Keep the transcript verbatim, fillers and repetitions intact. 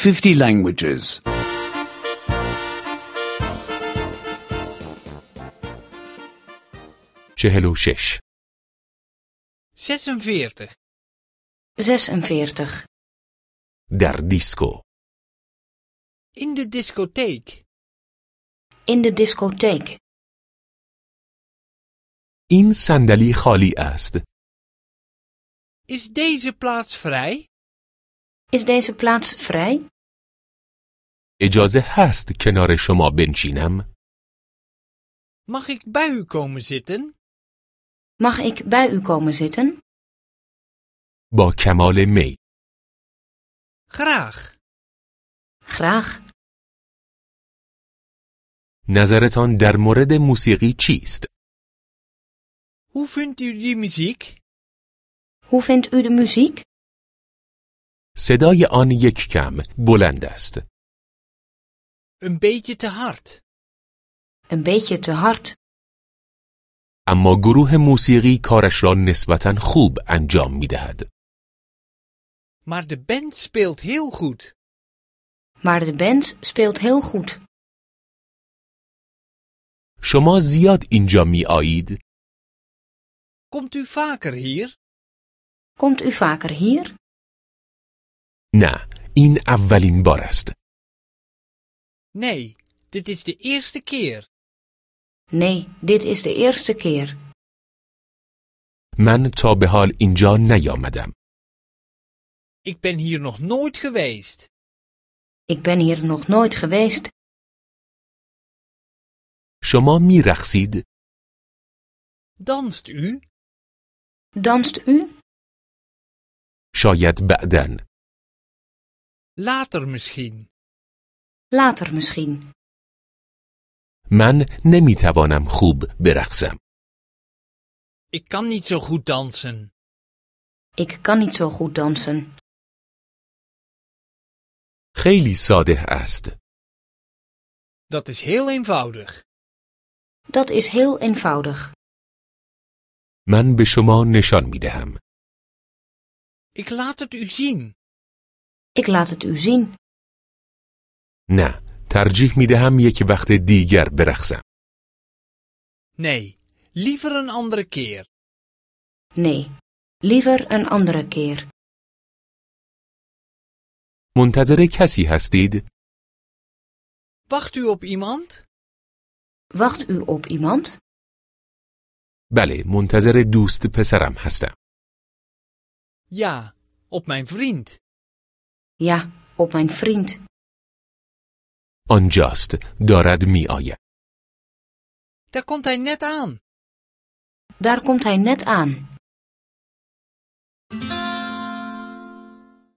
fifty languages. چهل و شش. zesenveertig, zesenveertig. در دیسکو. in de discotheek, In de discotheek. این صندلی خالی است. is deze plaats vrij? Is deze plaats vrij? اجازه هست کنار شما بنشینم؟ Mag ik bij u komen zitten? Mag ik bij u komen zitten? با کمال میل. Graag. Graag. نظرتان در مورد موسیقی چیست؟ Hoe vindt u die muziek? Hoe vindt u de muziek? صدای آن یک کم بلند است. Een beetje te hard. Een beetje te hard. اما گروه موسیقی کارش را نسبتاً خوب انجام می‌دهد. Maar de band speelt heel goed. Maar de band speelt heel goed. شما زیاد اینجا می‌آیید؟ Komt u vaker hier? Komt u vaker hier? نه، این اولین بار است. Nee, dit is de eerste keer. Nee, dit is de eerste keer. من تا به حال اینجا نیامدم. Ik ben hier nog nooit geweest. Ik ben hier nog nooit geweest. شما می‌رقصید؟ Danst u? Danst u? شاید بعداً. Later misschien. Later misschien. من نمی‌توانم خوب برقصم. Ik kan niet zo goed dansen. Ik kan niet zo goed dansen. خیلی ساده است. Dat is heel eenvoudig. Dat is heel eenvoudig. من به شما نشان می‌دهم. Ik laat het u zien. Ik laat het u zien. نه، ترجیح می‌دهم یک وقت دیگر برقصم. Nee, liever een andere keer. Nee, liever een andere keer. منتظر کسی هستید؟ Wacht u op iemand? Wacht u op iemand? بله، منتظر دوست پسرم هستم. Ja, op mijn vriend. Ja, op mijn vriend. آنجاست، دارد می‌آید. Daar komt hij net aan. Daar komt hij net aan.